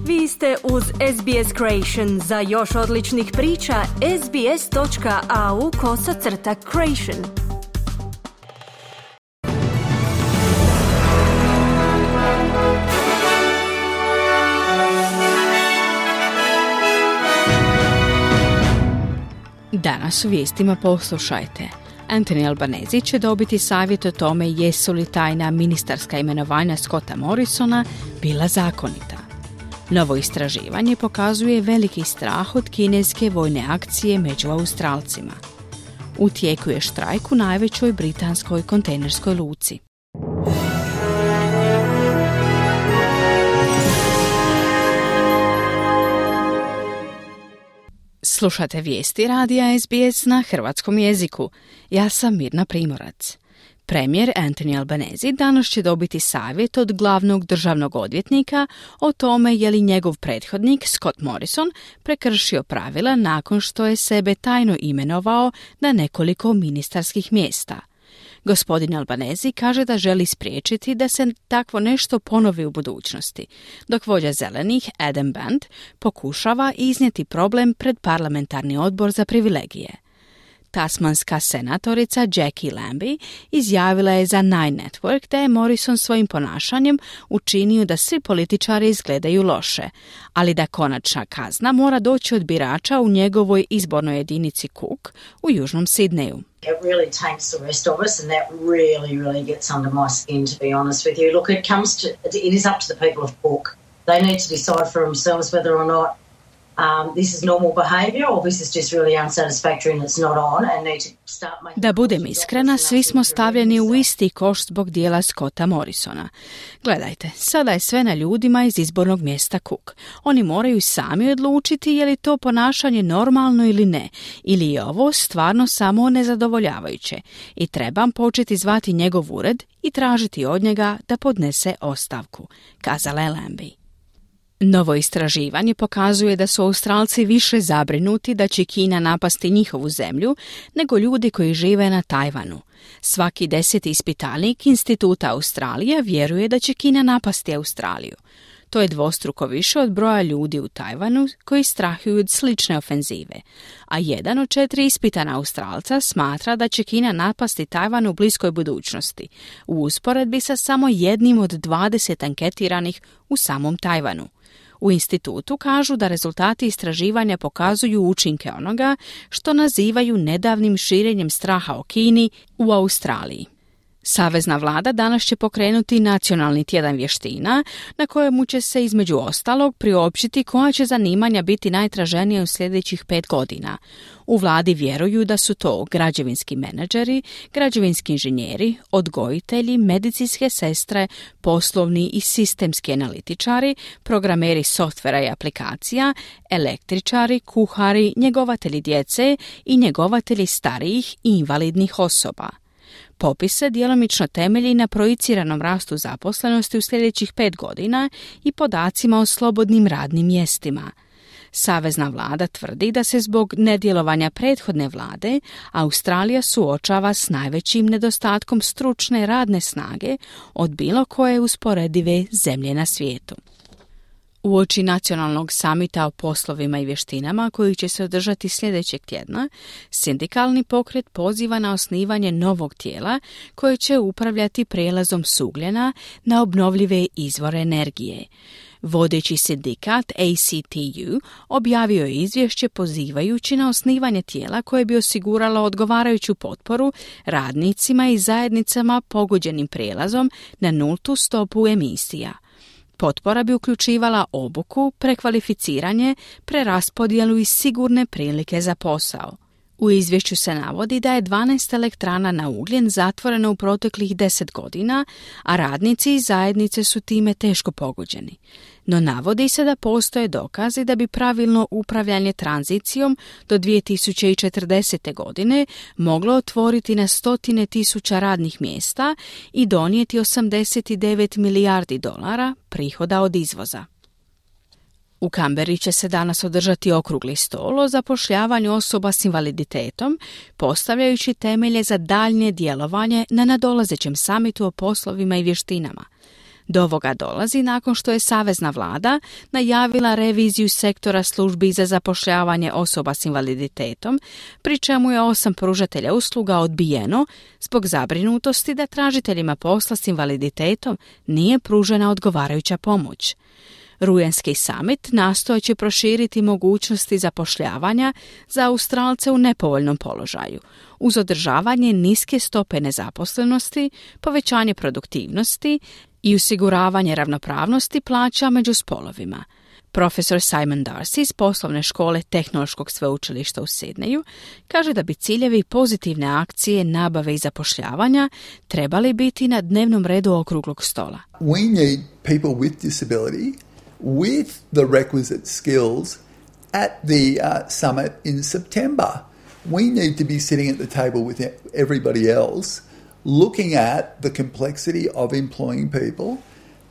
Vi ste uz SBS Creation. Za još odličnih priča, sbs.au/creation. Danas u vijestima poslušajte. Anthony Albanese će dobiti savjet o tome jesu li tajna ministarska imenovanja Scotta Morrisona bila zakonita. Novo istraživanje pokazuje veliki strah od kineske vojne akcije među Australcima. U tijeku je štrajk u najvećoj britanskoj kontejnerskoj luci. Slušate vijesti radija SBS na hrvatskom jeziku. Ja sam Mirna Primorac. Premijer Anthony Albanese danas će dobiti savjet od glavnog državnog odvjetnika o tome je li njegov prethodnik Scott Morrison prekršio pravila nakon što je sebe tajno imenovao na nekoliko ministarskih mjesta. Gospodin Albanese kaže da želi spriječiti da se takvo nešto ponovi u budućnosti, dok vođa zelenih Adam Band pokušava iznijeti problem pred parlamentarni odbor za privilegije. Tasmanska senatorica Jackie Lambie izjavila je za Nine Network da je Morrison svojim ponašanjem učinio da svi političari izgledaju loše, ali da konačna kazna mora doći od birača u njegovoj izbornoj jedinici Cook u južnom Sidneju. It really taints the rest of us and that really gets under my skin, to be honest with you. Look, it is up to the people of Cook. They need to decide for themselves whether or not this is normal behaviour or this is just really unsatisfactory and it's not on and need to start making... Da budem iskrena, svi smo stavljeni u isti koš zbog dijela Scotta Morrisona. Gledajte, sada je sve na ljudima iz izbornog mjesta Cook. Oni moraju sami odlučiti je li to ponašanje normalno ili ne, ili je ovo stvarno samo nezadovoljavajuće i trebam početi zvati njegov ured i tražiti od njega da podnese ostavku, kazala je Lambie. Novo istraživanje pokazuje da su Australci više zabrinuti da će Kina napasti njihovu zemlju nego ljudi koji žive na Tajvanu. Svaki 10. ispitanik Instituta Australija vjeruje da će Kina napasti Australiju. To je dvostruko više od broja ljudi u Tajvanu koji strahuju od slične ofenzive, a 1 od 4 ispitana Australca smatra da će Kina napasti Tajvan u bliskoj budućnosti, u usporedbi sa samo 1 od 20 anketiranih u samom Tajvanu. U institutu kažu da rezultati istraživanja pokazuju učinke onoga što nazivaju nedavnim širenjem straha o Kini u Australiji. Savezna vlada danas će pokrenuti nacionalni tjedan vještina na kojemu će se između ostalog priopćiti koja će zanimanja biti najtraženija u sljedećih 5 godina. U vladi vjeruju da su to građevinski menadžeri, građevinski inženjeri, odgojitelji, medicinske sestre, poslovni i sistemski analitičari, programeri softvera i aplikacija, električari, kuhari, njegovatelji djece i njegovatelji starijih i invalidnih osoba. Popis se djelomično temelji na projiciranom rastu zaposlenosti u sljedećih 5 godina i podacima o slobodnim radnim mjestima. Savezna vlada tvrdi da se zbog nedjelovanja prethodne vlade Australija suočava s najvećim nedostatkom stručne radne snage od bilo koje usporedive zemlje na svijetu. Uoči nacionalnog samita o poslovima i vještinama koji će se održati sljedećeg tjedna, sindikalni pokret poziva na osnivanje novog tijela koje će upravljati prijelazom s ugljena na obnovljive izvore energije. Vodeći sindikat ACTU objavio je izvješće pozivajući na osnivanje tijela koje bi osiguralo odgovarajuću potporu radnicima i zajednicama pogođenim prijelazom na nultu stopu emisija. Potpora bi uključivala obuku, prekvalificiranje, preraspodjelu i sigurne prilike za posao. U izvješću se navodi da je 12 elektrana na ugljen zatvoreno u proteklih 10 godina, a radnici i zajednice su time teško pogođeni. No navodi se da postoje dokazi da bi pravilno upravljanje tranzicijom do 2040. godine moglo otvoriti na 100.000 radnih mjesta i donijeti $89 milijardi prihoda od izvoza. U Canberri će se danas održati okrugli stol o zapošljavanju osoba s invaliditetom, postavljajući temelje za daljnje djelovanje na nadolazećem samitu o poslovima i vještinama. Do ovoga dolazi nakon što je savezna vlada najavila reviziju sektora službi za zapošljavanje osoba s invaliditetom, pri čemu je 8 pružatelja usluga odbijeno zbog zabrinutosti da tražiteljima posla s invaliditetom nije pružena odgovarajuća pomoć. Rujanski summit nastojat će proširiti mogućnosti zapošljavanja za Australce u nepovoljnom položaju, uz održavanje niske stope nezaposlenosti, povećanje produktivnosti i osiguravanje ravnopravnosti plaća među spolovima. Profesor Simon Darcy iz poslovne škole Tehnološkog sveučilišta u Sidneju kaže da bi ciljevi pozitivne akcije nabave i zapošljavanja trebali biti na dnevnom redu okruglog stola. We need people with disability with the requisite skills at the summit in September. We need to be sitting at the table with everybody else, looking at the complexity of employing people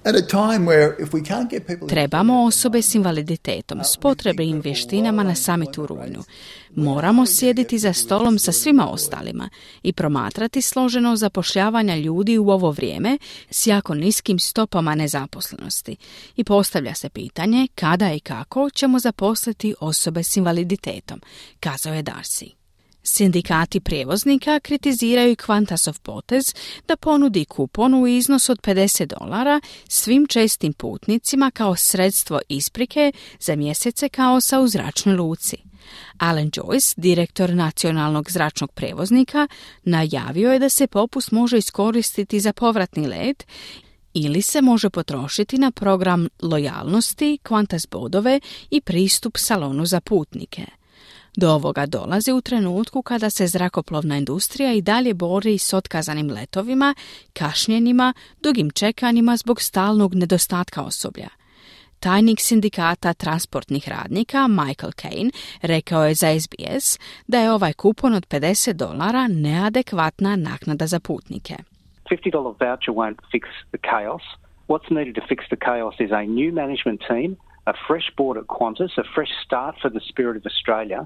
at a time where if we can't get people... Trebamo osobe s invaliditetom s potrebnim vještinama na samitu u rujnu. Moramo sjediti za stolom sa svima ostalima i promatrati složeno zapošljavanja ljudi u ovo vrijeme s jako niskim stopama nezaposlenosti. I postavlja se pitanje kada i kako ćemo zaposliti osobe s invaliditetom, kazao je Darcy. Sindikati prijevoznika kritiziraju Qantasov potez da ponudi kupon u iznosu od $50 svim čestim putnicima kao sredstvo isprike za mjesece kaosa u zračnoj luci. Alan Joyce, direktor nacionalnog zračnog prijevoznika, najavio je da se popust može iskoristiti za povratni let ili se može potrošiti na program lojalnosti, Qantas bodove i pristup salonu za putnike. Do ovoga dolazi u trenutku kada se zrakoplovna industrija i dalje bori s otkazanim letovima, kašnjenjima, dugim čekanjima zbog stalnog nedostatka osoblja. Tajnik sindikata transportnih radnika Michael Kane rekao je za SBS da je ovaj kupon od $50 neadekvatna naknada za putnike. $50 voucher won't fix the chaos. What's needed to fix the chaos is a new management team, a fresh board at Qantas, a fresh start for the Spirit of Australia,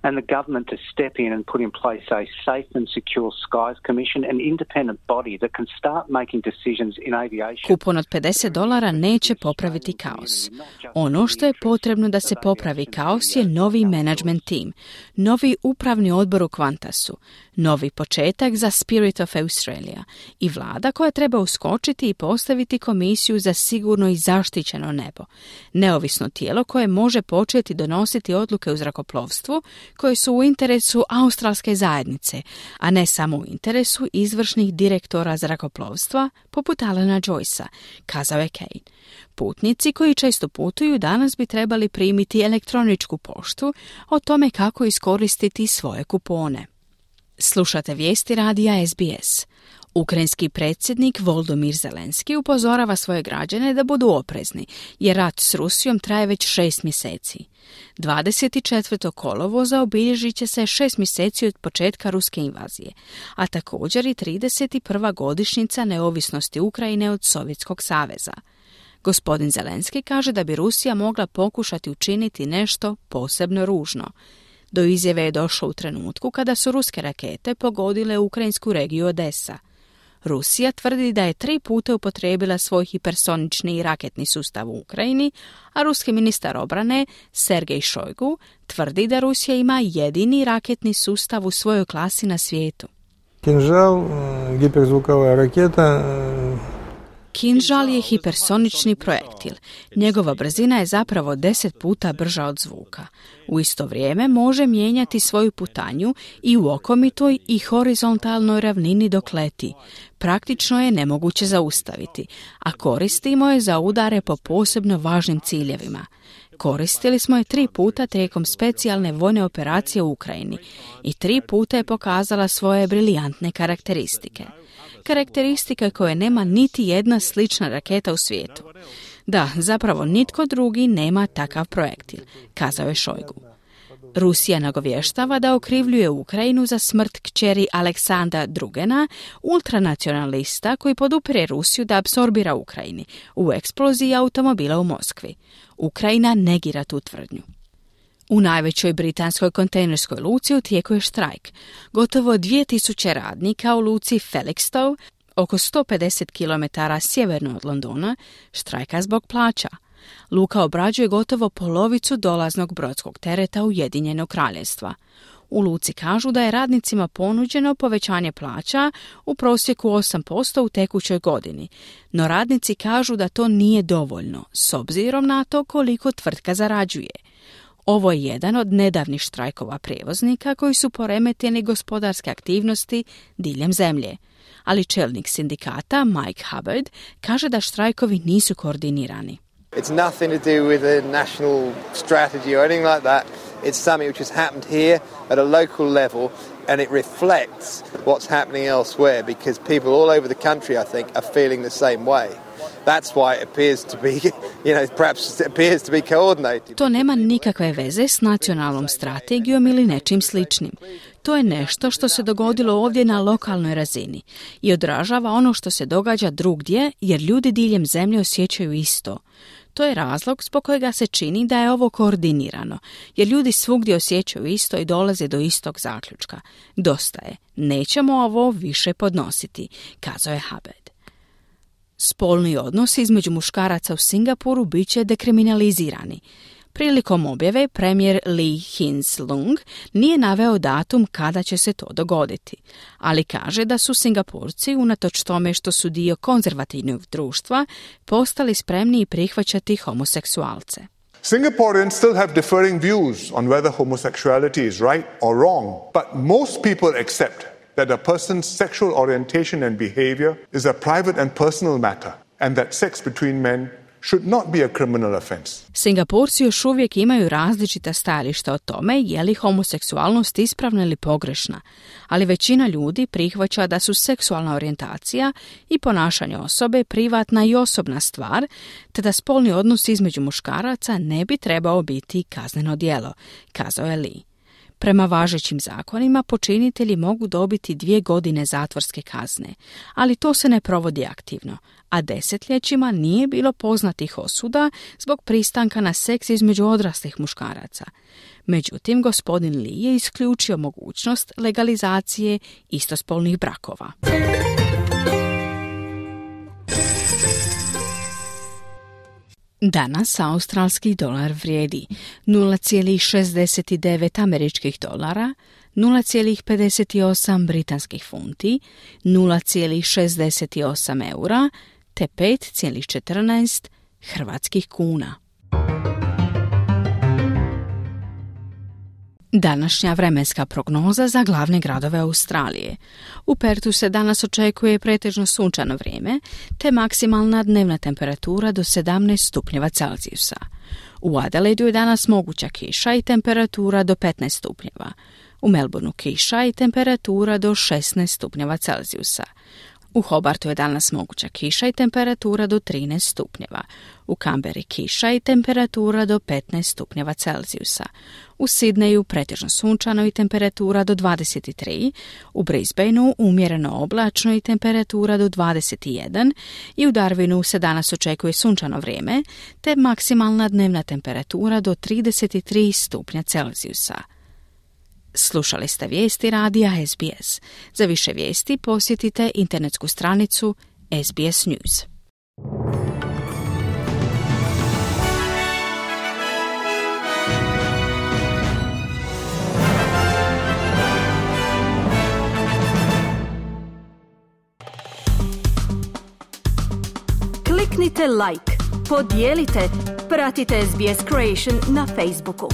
and the government to step in and put in place a safe and secure skies commission, an independent body that can start making decisions in aviation. Kupon od $50 neće popraviti kaos. Ono što je potrebno da se popravi kaos je novi management team, novi upravni odbor u Qantasu, novi početak za Spirit of Australia i vlada koja treba uskočiti i postaviti komisiju za sigurno i zaštićeno nebo. Neovisno tijelo koje može početi donositi odluke u zrakoplovstvu koje su u interesu australske zajednice, a ne samo u interesu izvršnih direktora zrakoplovstva poput Alana Joycea, kazao je Kane. Putnici koji često putuju danas bi trebali primiti elektroničku poštu o tome kako iskoristiti svoje kupone. Slušate vijesti radija SBS. Ukrajinski predsjednik Volodymyr Zelenski upozorava svoje građane da budu oprezni, jer rat s Rusijom traje već 6 mjeseci. 24. kolovoza obilježit će se 6 mjeseci od početka ruske invazije, a također i 31. godišnjica neovisnosti Ukrajine od Sovjetskog saveza. Gospodin Zelenski kaže da bi Rusija mogla pokušati učiniti nešto posebno ružno. Do izjave je došlo u trenutku kada su ruske rakete pogodile ukrajinsku regiju Odesa. Rusija tvrdi da je 3 puta upotrijebila svoj hipersonični raketni sustav u Ukrajini, a ruski ministar obrane Sergej Šojgu tvrdi da Rusija ima jedini raketni sustav u svojoj klasi na svijetu. Kinžal, hiperzvukova raketa. Kinžal je hipersonični projektil. Njegova brzina je zapravo 10 puta brža od zvuka. U isto vrijeme može mijenjati svoju putanju i u okomitoj i horizontalnoj ravnini dok leti. Praktično je nemoguće zaustaviti, a koristimo je za udare po posebno važnim ciljevima. Koristili smo je 3 puta tijekom specijalne vojne operacije u Ukrajini i 3 puta je pokazala svoje briljantne karakteristike. Karakteristike koje nema niti jedna slična raketa u svijetu. Da, zapravo nitko drugi nema takav projektil, kazao je Šojgu. Rusija nagovještava da okrivljuje Ukrajinu za smrt kćeri Aleksandra Drugena, ultranacionalista koji podupire Rusiju da apsorbira Ukrajini u eksploziji automobila u Moskvi. Ukrajina negira tu tvrdnju. U najvećoj britanskoj kontejnerskoj luci u tijeku je štrajk. Gotovo 2000 radnika u luci Felixstowe Oko 150 km sjeverno od Londona štrajka zbog plaća. Luka obrađuje gotovo polovicu dolaznog brodskog tereta Ujedinjenog Kraljevstva. U luci kažu da je radnicima ponuđeno povećanje plaća u prosjeku 8% u tekućoj godini, no radnici kažu da to nije dovoljno, s obzirom na to koliko tvrtka zarađuje. Ovo je jedan od nedavnih štrajkova prijevoznika koji su poremetili gospodarske aktivnosti diljem zemlje. Ali čelnik sindikata Mike Hubbard kaže da štrajkovi nisu koordinirani. It's nothing to do with a national strategy or anything like that. It's something which has happened here at a local level and it reflects what's happening elsewhere because people all over the country, I think, are feeling the same way. That's why it appears to be, perhaps it appears to be coordinated. To nema nikakve veze s nacionalnom strategijom ili nečim sličnim. To je nešto što se dogodilo ovdje na lokalnoj razini i odražava ono što se događa drugdje jer ljudi diljem zemlje osjećaju isto. To je razlog zbog kojega se čini da je ovo koordinirano, jer ljudi svugdje osjećaju isto i dolaze do istog zaključka. Dosta je, nećemo ovo više podnositi, kazao je Hubbard. Spolni odnosi između muškaraca u Singapuru bit će dekriminalizirani. Prilikom objave premijer Lee Hsien-loong nije naveo datum kada će se to dogoditi, ali kaže da su Singapurci, unatoč tome što su dio konzervativnog društva, postali spremni prihvaćati homoseksualce. Singaporeans still have differing views on whether homosexuality is right or wrong, but most people accept that a person's sexual orientation and behavior is a private and personal matter and that sex between men should not be a criminal offense. Singapurci još uvijek imaju različita stajališta o tome je li homoseksualnost ispravna ili pogrešna, ali većina ljudi prihvaća da su seksualna orijentacija i ponašanje osobe privatna i osobna stvar, te da spolni odnos između muškaraca ne bi trebao biti kazneno djelo, kazao je Lee. Prema važećim zakonima počinitelji mogu dobiti 2 godine zatvorske kazne, ali to se ne provodi aktivno, a desetljećima nije bilo poznatih osuda zbog pristanka na seks između odraslih muškaraca. Međutim, gospodin Lee je isključio mogućnost legalizacije istospolnih brakova. Danas australski dolar vrijedi 0,69 američkih dolara, 0,58 britanskih funti, 0,68 eura te 5,14 hrvatskih kuna. Današnja vremenska prognoza za glavne gradove Australije. U Pertu se danas očekuje pretežno sunčano vrijeme, te maksimalna dnevna temperatura do 17 stupnjeva Celzijusa. U Adelaidu je danas moguća kiša i temperatura do 15 stupnjeva. U Melbourneu kiša i temperatura do 16 stupnjeva Celzijusa. U Hobartu je danas moguća kiša i temperatura do 13 stupnjeva. U Canberri kiša i temperatura do 15 stupnjeva Celzijusa. U Sidneju pretežno sunčano i temperatura do 23. U Brisbaneu umjereno oblačno i temperatura do 21. I u Darwinu se danas očekuje sunčano vrijeme, te maksimalna dnevna temperatura do 33 stupnja Celzijusa. Slušali ste vijesti radija SBS. Za više vijesti posjetite internetsku stranicu SBS News. Kliknite like, podijelite, pratite SBS Creation na Facebooku.